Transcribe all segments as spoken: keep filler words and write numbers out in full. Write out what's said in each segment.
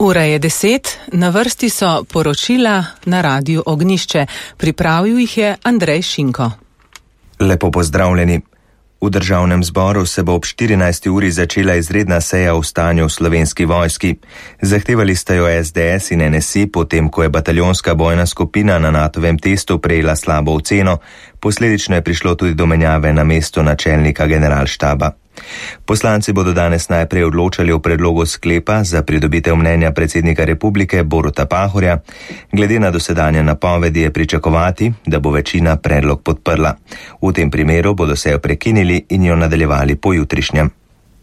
Ura je deset, na vrsti so poročila na Radiu Ognjišče. Pripravil jih je Andrej Šinko. Lepo pozdravljeni. V državnem zboru se bo ob štirinajsti uri začela izredna seja o stanju v Slovenski vojski. Zahtevali sta jo S D S in N S I, potem ko je bataljonska bojna skupina na Natovem testu prejela slabo oceno, posledično je prišlo tudi do menjave na mesto načelnika generalštaba. Poslanci bodo danes najprej odločali o predlogu sklepa za pridobitev mnenja predsednika republike Boruta Pahorja. Glede na dosedanje napovedi je pričakovati, da bo večina predlog podprla. V tem primeru bodo sejo prekinili in jo nadaljevali pojutrišnjem.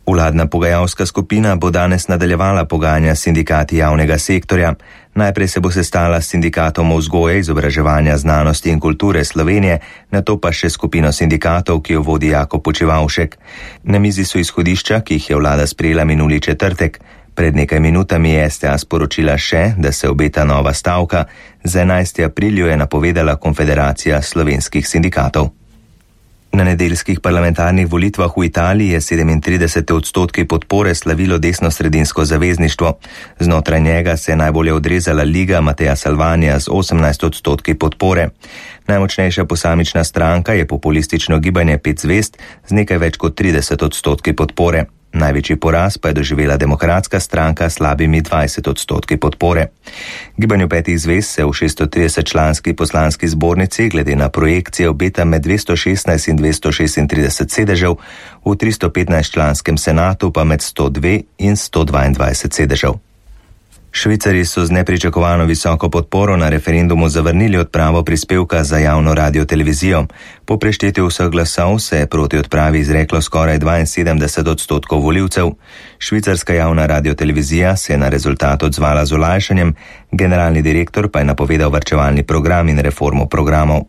Vladna pogajalska skupina bo danes nadaljevala pogajanja s sindikati javnega sektorja. Najprej se bo sestala s sindikatom vzgoje, izobraževanja, znanosti in kulture Slovenije, nato pa še skupino sindikatov, ki jo vodi Jako Počivavšek. Na mizi so izhodišča, ki jih je vlada sprejela minuli četrtek. Pred nekaj minutami je S T A sporočila še, da se obeta nova stavka. Za enajstega aprila je napovedala Konfederacija slovenskih sindikatov. Na nedeljskih parlamentarnih volitvah v Italiji je sedemintrideset odstotki podpore slavilo desno-sredinsko zavezništvo. Znotraj njega se je najbolje odrezala Liga Mateja Salvanija z osemnajst odstotki podpore. Najmočnejša posamična stranka je populistično gibanje Pet zvezd z nekaj več kot trideset odstotki podpore. Največji poraz pa je doživela Demokratska stranka s slabimi dvajset odstotki podpore. Gibanju Petih zvezd se v šeststotrideset članski poslanski zbornici glede na projekcije obeta med dvesto šestnajst in dvesto šestintrideset sedežev, v tristo petnajst članskem senatu pa med sto dva in sto dvaindvajset sedežev. Švicarji so z nepričakovano visoko podporo na referendumu zavrnili odpravo prispevka za javno radio-televizijo. Po preštetju vseh glasov se je proti odpravi izreklo skoraj dvainsedemdeset odstotkov volivcev. Švicarska javna radio-televizija se je na rezultat odzvala z olajšanjem, generalni direktor pa je napovedal varčevalni program in reformo programov.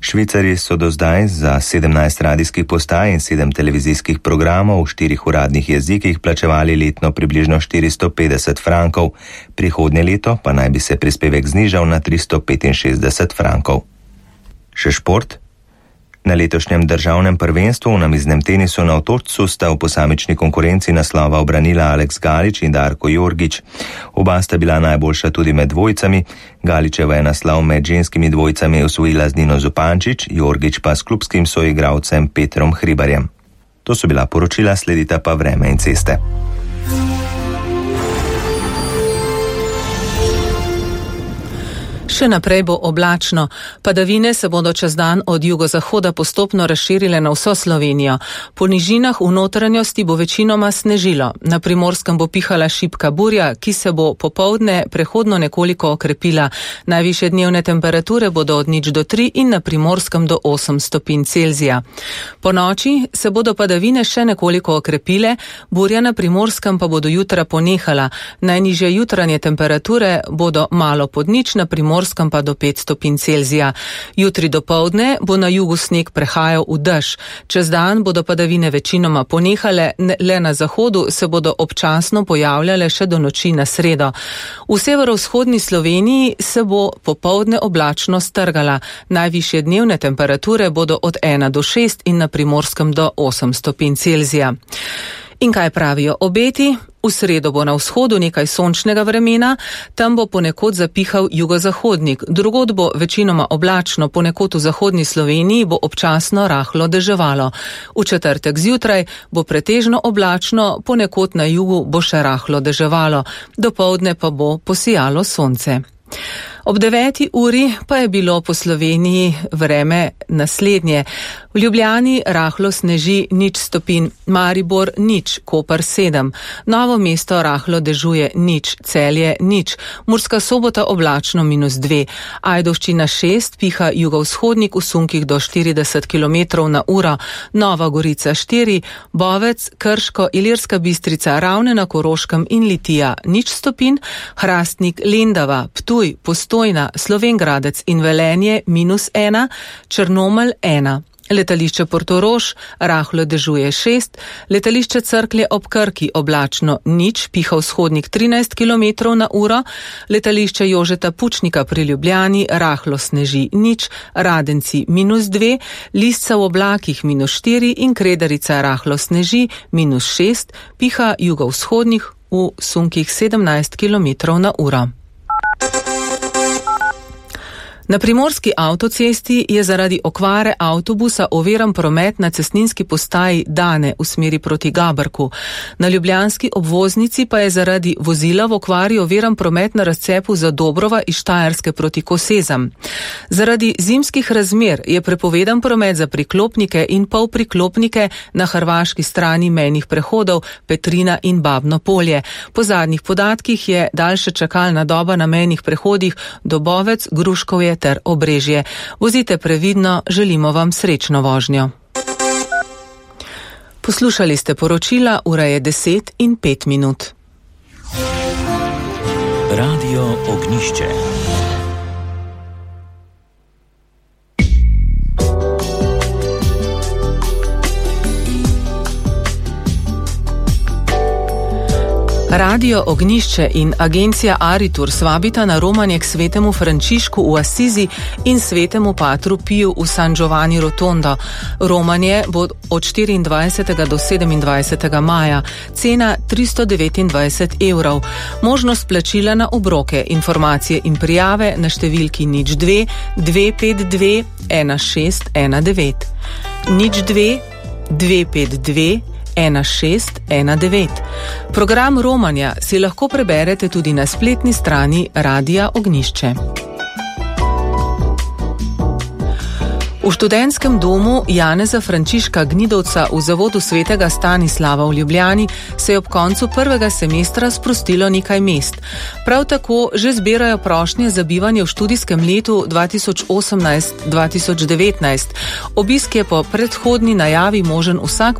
Švicarji so do zdaj za sedemnajst radijskih postaj in sedem televizijskih programov v štirih uradnih jezikih plačevali letno približno štiristo petdeset frankov, prihodnje leto pa naj bi se prispevek znižal na tristo petinšestdeset frankov. Še šport? Na letošnjem državnem prvenstvu v namiznem tenisu na Otočcu sta v posamični konkurenci naslova obranila Aleks Galič in Darko Jorgič. Oba sta bila najboljša tudi med dvojicami. Galičeva je naslov med ženskimi dvojicami osvojila z Nino Zupančič, Jorgič pa s klubskim soigralcem Petrom Hribarjem. To so bila poročila, sledita pa vreme in ceste. Še naprej bo oblačno. Padavine se bodo čez dan od jugozahoda postopno razširile na vso Slovenijo. Po nižinah v notranjosti bo večinoma snežilo. Na Primorskem bo pihala šibka burja, ki se bo popoldne prehodno nekoliko okrepila. Najvišje dnevne temperature bodo od nič do tri in na Primorskem do osem stopinj Celzija. Po noči se bodo padavine še nekoliko okrepile, burja na Primorskem pa bodo jutra ponehala. Najnižje jutranje temperature bodo malo pod nič, na Primorskem pa do pet stopinj Celzija. Jutri dopoldne bo na jugu sneg prehajal v dež. Čez dan bodo padavine večinoma ponehale, le na zahodu se bodo občasno pojavljale še do noči na sredo. V severovzhodni Sloveniji se bo popoldne oblačno strgala. Najvišje dnevne temperature bodo od ena do šest in na Primorskem do osem stopinj Celzija. In kaj pravijo obeti? V sredo bo na vzhodu nekaj sončnega vremena, tam bo ponekod zapihal jugozahodnik, drugod bo večinoma oblačno, ponekod v zahodni Sloveniji bo občasno rahlo deževalo. V četrtek zjutraj bo pretežno oblačno, ponekod na jugu bo še rahlo deževalo, dopoldne pa bo posijalo sonce. Ob deveti uri pa je bilo po Sloveniji vreme naslednje. V Ljubljani rahlo sneži nič stopinj, Maribor nič, Koper sedem, Novo mesto rahlo dežuje nič, Celje nič, Murska Sobota oblačno minus dve, Ajdovščina šest, piha jugovzhodnik v sunkih do štirideset kilometrov na uro, Nova Gorica štiri, Bovec, Krško, Ilirska Bistrica, Ravne na Koroškem in Litija nič stopinj, Hrastnik, Lendava, Ptuj, Postojna, Slovenj Gradec in Velenje minus ena, Črnomelj ena. Letališče Portorož rahlo dežuje šest, letališče Cerklje ob Krki oblačno nič, piha vzhodnik trinajst kilometrov na uro, letališče Jožeta Pučnika pri Ljubljani rahlo sneži nič, Radenci minus dve, Lisca v oblakih minus štiri in Kredarica rahlo sneži minus šest, piha jugovzhodnik v sunkih sedemnajst kilometrov na uro. Na primorski avtocesti je zaradi okvare avtobusa oviran promet na cestninski postaji Dane v smeri proti Gabrku. Na ljubljanski obvoznici pa je zaradi vozila v okvari oviran promet na razcepu Zadobrova iz Štajerske proti Kosezam. Zaradi zimskih razmer je prepovedan promet za priklopnike in polpriklopnike na hrvaški strani mejnih prehodov Petrina in Babno polje. Po zadnjih podatkih je daljša čakalna doba na mejnih prehodih Dobovec, Gruškovje ter Obrežje. Vozite previdno, želimo vam srečno vožnjo. Poslušali ste poročila, ura je deset in pet minut. Radio Ognišče. Radio Ognišče in agencija Aritur svabita na romanje k svetemu Frančišku v Asizi in svetemu Patru Piju v San Giovanni Rotondo. Romanje bo od štiriindvajsetega do sedemindvajsetega maja, cena tristo devetindvajset evrov. Možnost plačila na obroke, informacije in prijave na številki nič dve dve pet dve ena šest ena devet. nič dve dve pet dve ena šest ena devet. Program romanja si lahko preberete tudi na spletni strani Radia Ognišče. V študentskem domu Janeza Frančiška Gnidovca v zavodu svetega Stanislava v Ljubljani se je ob koncu prvega semestra sprostilo nekaj mest. Prav tako že zbirajo prošnje za bivanje v študijskem letu dva tisoč osemnajst dva tisoč devetnajst. Obisk je po predhodni najavi možen vsak